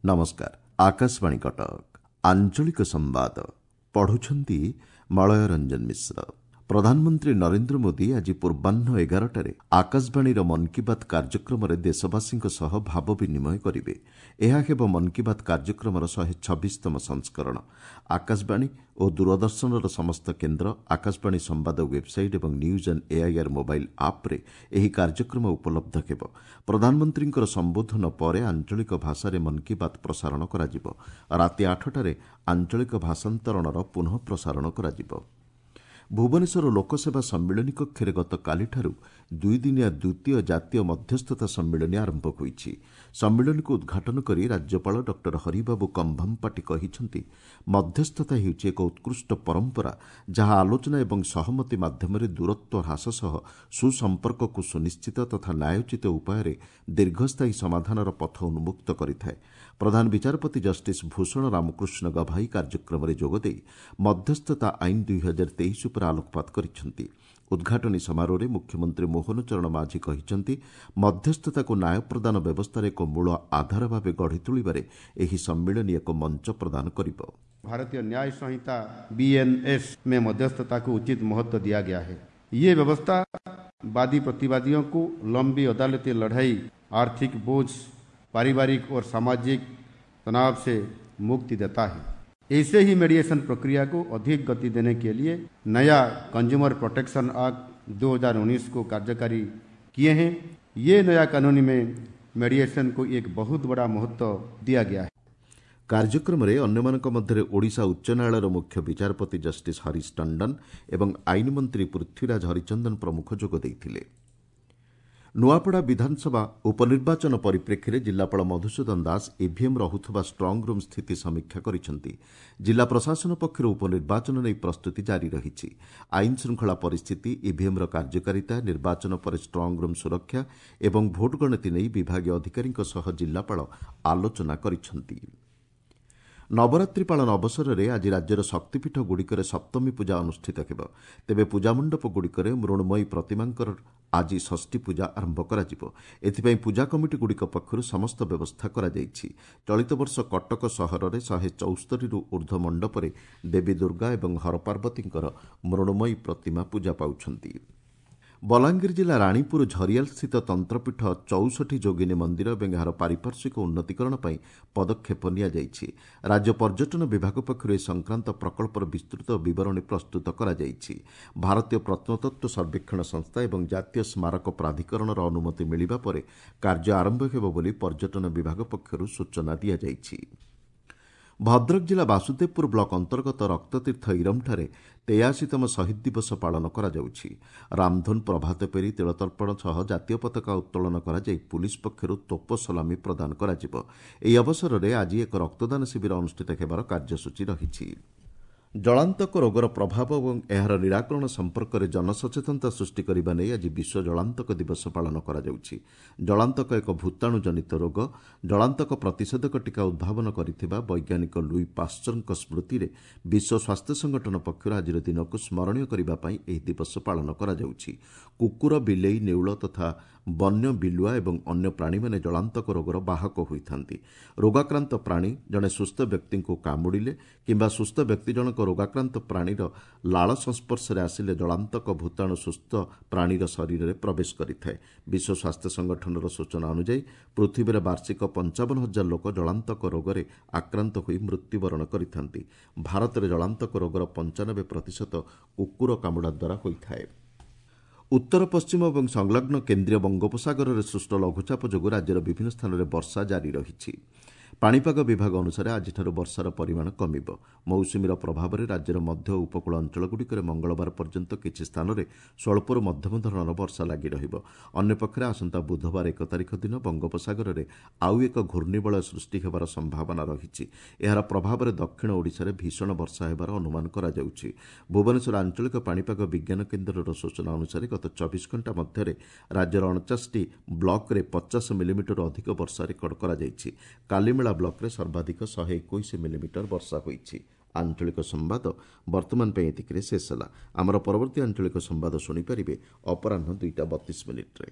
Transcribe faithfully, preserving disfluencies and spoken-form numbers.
ନମସ୍କାର ଆକାଶବାଣୀ କଟକ ଆଞ୍ଚଳିକ ସମ୍ବାଦ ପଢୁଛନ୍ତି ମଳୟ ରଞ୍ଜନ ମିଶ୍ର ପ୍ରଧାନମନ୍ତ୍ରୀ ନରେନ୍ଦ୍ର ମୋଦି ଆଜି ପୂର୍ବାହ୍ନ ଏଗାରଟାରେ ଆକାଶବାଣୀର ମନ୍ କି ବାତ୍ କାର୍ଯ୍ୟକ୍ରମରେ ଦେଶବାସୀଙ୍କ ସହ ଭାବ ବିନିମୟ କରିବେ ଏହା ହେବ ମନ୍ କି ବାତ୍ କାର୍ଯ୍ୟକ୍ରମର ଶହେ ଛବିଶତମ ସଂସ୍କରଣ ଆକାଶବାଣୀ ଓ ଦୂରଦର୍ଶନର ସମସ୍ତ କେନ୍ଦ୍ର ଆକାଶବାଣୀ ସମ୍ବାଦ ୱେବ୍ସାଇଟ୍ ଏବଂ ନ୍ୟୁଜ୍ ଅନ୍ ଏଆଇଆର୍ ମୋବାଇଲ୍ ଆପ୍ରେ ଏହି କାର୍ଯ୍ୟକ୍ରମ ଉପଲବ୍ଧ ହେବ ପ୍ରଧାନମନ୍ତ୍ରୀଙ୍କର ସମ୍ବୋଧନ ପରେ ଆଞ୍ଚଳିକ ଭାଷାରେ ମନ୍ କି ବାତ୍ ପ୍ରସାରଣ କରାଯିବ ରାତି ଆଠଟାରେ ଆଞ୍ଚଳିକ ଭାଷାନ୍ତରଣର ପୁନଃ ପ୍ରସାରଣ କରାଯିବ ଭୁବନେଶ୍ୱର ଲୋକସେବା ସମ୍ମିଳନୀ କକ୍ଷରେ ଗତକାଲିଠାରୁ ଦୁଇଦିନିଆ ଦ୍ୱିତୀୟ ଜାତୀୟ ମଧ୍ୟସ୍ଥତା ସମ୍ମିଳନୀ ଆରମ୍ଭ ହୋଇଛି ସମ୍ମିଳନୀକୁ ଉଦ୍ଘାଟନ କରି ରାଜ୍ୟପାଳ ଡକ୍ଟର ହରିବାବୁ କମ୍ଭମପାଟି କହିଛନ୍ତି ମଧ୍ୟସ୍ଥତା ହେଉଛି ଏକ ଉତ୍କୃଷ୍ଟ ପରମ୍ପରା ଯାହା ଆଲୋଚନା ଏବଂ ସହମତି ମାଧ୍ୟମରେ ଦୂରତ୍ୱ ହ୍ରାସ ସହ ସୁସମ୍ପର୍କକୁ ସୁନିଶ୍ଚିତ ତଥା ନ୍ୟାୟୋଚିତ ଉପାୟରେ ଦୀର୍ଘସ୍ଥାୟୀ ସମାଧାନର ପଥ ଉନ୍ମୁକ୍ତ କରିଥାଏ ପ୍ରଧାନ ବିଚାରପତି ଜଷ୍ଟିସ୍ ଭୂଷଣ ରାମକୃଷ୍ଣ ଗଭାଇ କାର୍ଯ୍ୟକ୍ରମରେ ଯୋଗଦେଇ ମଧ୍ୟସ୍ଥତା ଆଇନ ଦୁଇ ହଜାର ତେଇଶ ଉପରେ ଆଲୋକପାତ କରିଛନ୍ତି ଉଦ୍ଘାଟନୀ ସମାରୋହରେ ମୁଖ୍ୟମନ୍ତ୍ରୀ ମୋହନ ଚରଣ ମାଝୀ କହିଛନ୍ତି ମଧ୍ୟସ୍ଥତାକୁ ନ୍ୟାୟ ପ୍ରଦାନ ବ୍ୟବସ୍ଥାର ଏକ ମୂଳ ଆଧାର ଭାବେ ଗଢ଼ି ତୋଳିବାରେ ଏହି ସମ୍ମିଳନୀ ଏକ ମଞ୍ଚ ପ୍ରଦାନ କରିବ भारतीय न्याय संहिता बी एन एस में मध्यस्थता को उचित महत्व दिया गया है ये व्यवस्था वादी प्रतिवादियों को लंबी अदालती लड़ाई आर्थिक बोझ पारिवारिक और सामाजिक तनाव से मुक्ति देता है ऐसे ही मेडिएशन प्रक्रिया को अधिक गति देने के लिए नया कंज्यूमर प्रोटेक्शन एक्ट दो हज़ार उन्नीस को कार्यकारी किए हैं ये नया कानून में मेडिएशन को एक बहुत बड़ा महत्व दिया गया है କାର୍ଯ୍ୟକ୍ରମରେ ଅନ୍ୟମାନଙ୍କ ମଧ୍ୟରେ ଓଡ଼ିଶା ଉଚ୍ଚ ନ୍ୟାୟାଳୟର ମୁଖ୍ୟ ବିଚାରପତି ଜଷ୍ଟିସ୍ ହରିଶ ଟଣ୍ଡନ ଏବଂ ଆଇନ ମନ୍ତ୍ରୀ ପୃଥ୍ୱୀରାଜ ହରିଚନ୍ଦନ ପ୍ରମୁଖ ଯୋଗ ଦେଇଥିଲେ ନୂଆପଡ଼ା ବିଧାନସଭା ଉପନିର୍ବାଚନ ପରିପ୍ରେକ୍ଷୀରେ ଜିଲ୍ଲାପାଳ ମଧୁସୂଦନ ଦାସ ଇଭିଏମ୍ ରହୁଥିବା ଷ୍ଟ୍ରଙ୍ଗରୁମ୍ ସ୍ଥିତି ସମୀକ୍ଷା କରିଛନ୍ତି ଜିଲ୍ଲା ପ୍ରଶାସନ ପକ୍ଷରୁ ଉପନିର୍ବାଚନ ନେଇ ପ୍ରସ୍ତୁତି ଜାରି ରହିଛି ଆଇନ ଶୃଙ୍ଖଳା ପରିସ୍ଥିତି ଇଭିଏମ୍ର କାର୍ଯ୍ୟକାରିତା ନିର୍ବାଚନ ପରେ ଷ୍ଟ୍ରଙ୍ଗରୁମ୍ ସୁରକ୍ଷା ଏବଂ ଭୋଟ ଗଣତି ନେଇ ବିଭାଗୀୟ ଅଧିକାରୀଙ୍କ ସହ ଜିଲ୍ଲାପାଳ ଆଲୋଚନା କରିଛନ୍ତି ନବରାତ୍ରି ପାଳନ ଅବସରରେ ଆଜି ରାଜ୍ୟର ଶକ୍ତିପୀଠଗୁଡ଼ିକରେ ସପ୍ତମୀ ପୂଜା ଅନୁଷ୍ଠିତ ହେବ ତେବେ ପୂଜାମଣ୍ଡପଗୁଡ଼ିକରେ ମୃଣ୍ମୟୀ ପ୍ରତିମାଙ୍କର ଆଜି ଷଷ୍ଠୀ ପୂଜା ଆରମ୍ଭ କରାଯିବ ଏଥିପାଇଁ ପୂଜା କମିଟିଗୁଡ଼ିକ ପକ୍ଷରୁ ସମସ୍ତ ବ୍ୟବସ୍ଥା କରାଯାଇଛି ଚଳିତ ବର୍ଷ କଟକ ସହରରେ ଶହେ ଚଉସ୍ତରୀରୁ ଉର୍ଦ୍ଧ୍ୱ ମଣ୍ଡପରେ ଦେବୀ ଦୁର୍ଗା ଏବଂ ହରପାର୍ବତୀଙ୍କର ମୃଣ୍ମୟୀ ପ୍ରତିମା ପୂଜା ପାଉଛନ୍ତି ବଲାଙ୍ଗୀର ଜିଲ୍ଲା ରାଣୀପୁର ଝରିଆଲସ୍ଥିତ ତନ୍ତ୍ରପୀଠ ଚଉଷଠି ଯୋଗିନୀ ମନ୍ଦିର ଏବଂ ଏହାର ପାରିପାର୍ଶ୍ୱିକ ଉନ୍ନତିକରଣ ପାଇଁ ପଦକ୍ଷେପ ନିଆଯାଇଛି ରାଜ୍ୟ ପର୍ଯ୍ୟଟନ ବିଭାଗ ପକ୍ଷରୁ ଏ ସଂକ୍ରାନ୍ତ ପ୍ରକଳ୍ପର ବିସ୍ତୃତ ବିବରଣୀ ପ୍ରସ୍ତୁତ କରାଯାଇଛି ଭାରତୀୟ ପ୍ରତ୍ନତତ୍ତ୍ୱ ସର୍ବେକ୍ଷଣ ସଂସ୍ଥା ଏବଂ ଜାତୀୟ ସ୍ମାରକ ପ୍ରାଧିକରଣର ଅନୁମତି ମିଳିବା ପରେ କାର୍ଯ୍ୟ ଆରମ୍ଭ ହେବ ବୋଲି ପର୍ଯ୍ୟଟନ ବିଭାଗ ପକ୍ଷରୁ ସୂଚନା ଦିଆଯାଇଛି ଭଦ୍ରକ ଜିଲ୍ଲା ବାସୁଦେବପୁର ବ୍ଲକ ଅନ୍ତର୍ଗତ ରକ୍ତତୀର୍ଥ ଇରମଠାରେ ତେୟାଅଶୀତମ ଶହୀଦ ଦିବସ ପାଳନ କରାଯାଉଛି ରାମଧୁନ ପ୍ରଭାତଫେରି ତିଳତର୍ପଣ ସହ ଜାତୀୟ ପତାକା ଉତ୍ତୋଳନ କରାଯାଇ ପୁଲିସ୍ ପକ୍ଷରୁ ତୋପ ସଲାମି ପ୍ରଦାନ କରାଯିବ ଏହି ଅବସରରେ ଆଜି ଏକ ରକ୍ତଦାନ ଶିବିର ଅନୁଷ୍ଠିତ ହେବାର କାର୍ଯ୍ୟସୂଚୀ ରହିଛି ଜଳାନ୍ତକ ରୋଗର ପ୍ରଭାବ ଏବଂ ଏହାର ନିରାକରଣ ସମ୍ପର୍କରେ ଜନସଚେତନତା ସୃଷ୍ଟି କରିବା ନେଇ ଆଜି ବିଶ୍ୱ ଜଳାନ୍ତକ ଦିବସ ପାଳନ କରାଯାଉଛି ଜଳାନ୍ତକ ଏକ ଭୂତାଣୁ ଜନିତ ରୋଗ ଜଳାନ୍ତକ ପ୍ରତିଷେଧକ ଟୀକା ଉଦ୍ଭାବନ କରିଥିବା ବୈଜ୍ଞାନିକ ଲୁଇ ପାଶ୍ଚରଙ୍କ ସ୍ମୃତିରେ ବିଶ୍ୱ ସ୍ୱାସ୍ଥ୍ୟ ସଂଗଠନ ପକ୍ଷରୁ ଆଜିର ଦିନକୁ ସ୍ମରଣୀୟ କରିବା ପାଇଁ ଏହି ଦିବସ ପାଳନ କରାଯାଉଛି କୁକୁର ବିଲେଇ ନେଉଳ ତଥା ବନ୍ୟ ବିଲୁଆ ଏବଂ ଅନ୍ୟ ପ୍ରାଣୀମାନେ ଜଳାନ୍ତକ ରୋଗର ବାହକ ହୋଇଥାନ୍ତି ରୋଗାକ୍ରାନ୍ତ ପ୍ରାଣୀ ଜଣେ ସୁସ୍ଥ ବ୍ୟକ୍ତିଙ୍କୁ କାମୁଡ଼ିଲେ କିମ୍ବା ସୁସ୍ଥ ବ୍ୟକ୍ତି ଜଣକ ରୋଗାକ୍ରାନ୍ତ ପ୍ରାଣୀର ଲାଳ ସଂସ୍ପର୍ଶରେ ଆସିଲେ ଜଳାନ୍ତକ ଭୂତାଣୁ ସୁସ୍ଥ ପ୍ରାଣୀର ଶରୀରରେ ପ୍ରବେଶ କରିଥାଏ ବିଶ୍ୱ ସ୍ୱାସ୍ଥ୍ୟ ସଂଗଠନର ସୂଚନା ଅନୁଯାୟୀ ପୃଥିବୀରେ ବାର୍ଷିକ ପଞ୍ଚାବନ ହଜାର ଲୋକ ଜଳାନ୍ତକ ରୋଗରେ ଆକ୍ରାନ୍ତ ହୋଇ ମୃତ୍ୟୁବରଣ କରିଥାନ୍ତି ଭାରତରେ ଜଳାନ୍ତକ ରୋଗର ପଞ୍ଚାନବେ ପ୍ରତିଶତ କୁକୁର କାମୁଡ଼ା ଦ୍ୱାରା ହୋଇଥାଏ ଉତ୍ତର ପଶ୍ଚିମ ଏବଂ ସଂଲଗ୍ନ କେନ୍ଦ୍ରୀୟ ବଙ୍ଗୋପସାଗରରେ ସୃଷ୍ଟ ଲଘୁଚାପ ଯୋଗୁଁ ରାଜ୍ୟର ବିଭିନ୍ନ ସ୍ଥାନରେ ବର୍ଷା ଜାରି ରହିଛି ପାଣିପାଗ ବିଭାଗ ଅନୁସାରେ ଆଜିଠାରୁ ବର୍ଷାର ପରିମାଣ କମିବ ମୌସୁମୀର ପ୍ରଭାବରେ ରାଜ୍ୟର ମଧ୍ୟ ଉପକୂଳ ଅଞ୍ଚଳଗୁଡ଼ିକରେ ମଙ୍ଗଳବାର ପର୍ଯ୍ୟନ୍ତ କିଛି ସ୍ଥାନରେ ସ୍ୱଳ୍ପରୁ ମଧ୍ୟମ ଧରଣର ବର୍ଷା ଲାଗି ରହିବ ଅନ୍ୟପକ୍ଷରେ ଆସନ୍ତା ବୁଧବାର ଏକ ତାରିଖ ଦିନ ବଙ୍ଗୋପସାଗରରେ ଆଉ ଏକ ଘୂର୍ଣ୍ଣିବଳୟ ସୃଷ୍ଟି ହେବାର ସମ୍ଭାବନା ରହିଛି ଏହାର ପ୍ରଭାବରେ ଦକ୍ଷିଣ ଓଡ଼ିଶାରେ ଭୀଷଣ ବର୍ଷା ହେବାର ଅନୁମାନ କରାଯାଉଛି ଭୁବନେଶ୍ୱର ଆଞ୍ଚଳିକ ପାଣିପାଗ ବିଜ୍ଞାନ କେନ୍ଦ୍ରର ସୂଚନା ଅନୁସାରେ ଗତ ଚବିଶ ଘଣ୍ଟା ମଧ୍ୟରେ ରାଜ୍ୟର ଅଣଚାଶଟି ବ୍ଲକରେ ପଚାଶ ମିଲିମିଟରରୁ ଅଧିକ ବର୍ଷା ରେକର୍ଡ କରାଯାଇଛି କାଲିମେଳା ବ୍ଲକରେ ସର୍ବାଧିକ ଶହେ ଏକୋଇଶ ମିଲିମିଟର ବର୍ଷା ହୋଇଛି ଆଞ୍ଚଳିକ ସମ୍ବାଦ ବର୍ତ୍ତମାନ ପାଇଁ ଏତିକିରେ ଶେଷ ହେଲା ଆମର ପରବର୍ତ୍ତୀ ଆଞ୍ଚଳିକ ସମ୍ବାଦ ଶୁଣିପାରିବେ ଅପରାହ୍ନ ଦୁଇଟା ବତିଶ ମିନିଟ୍ରେ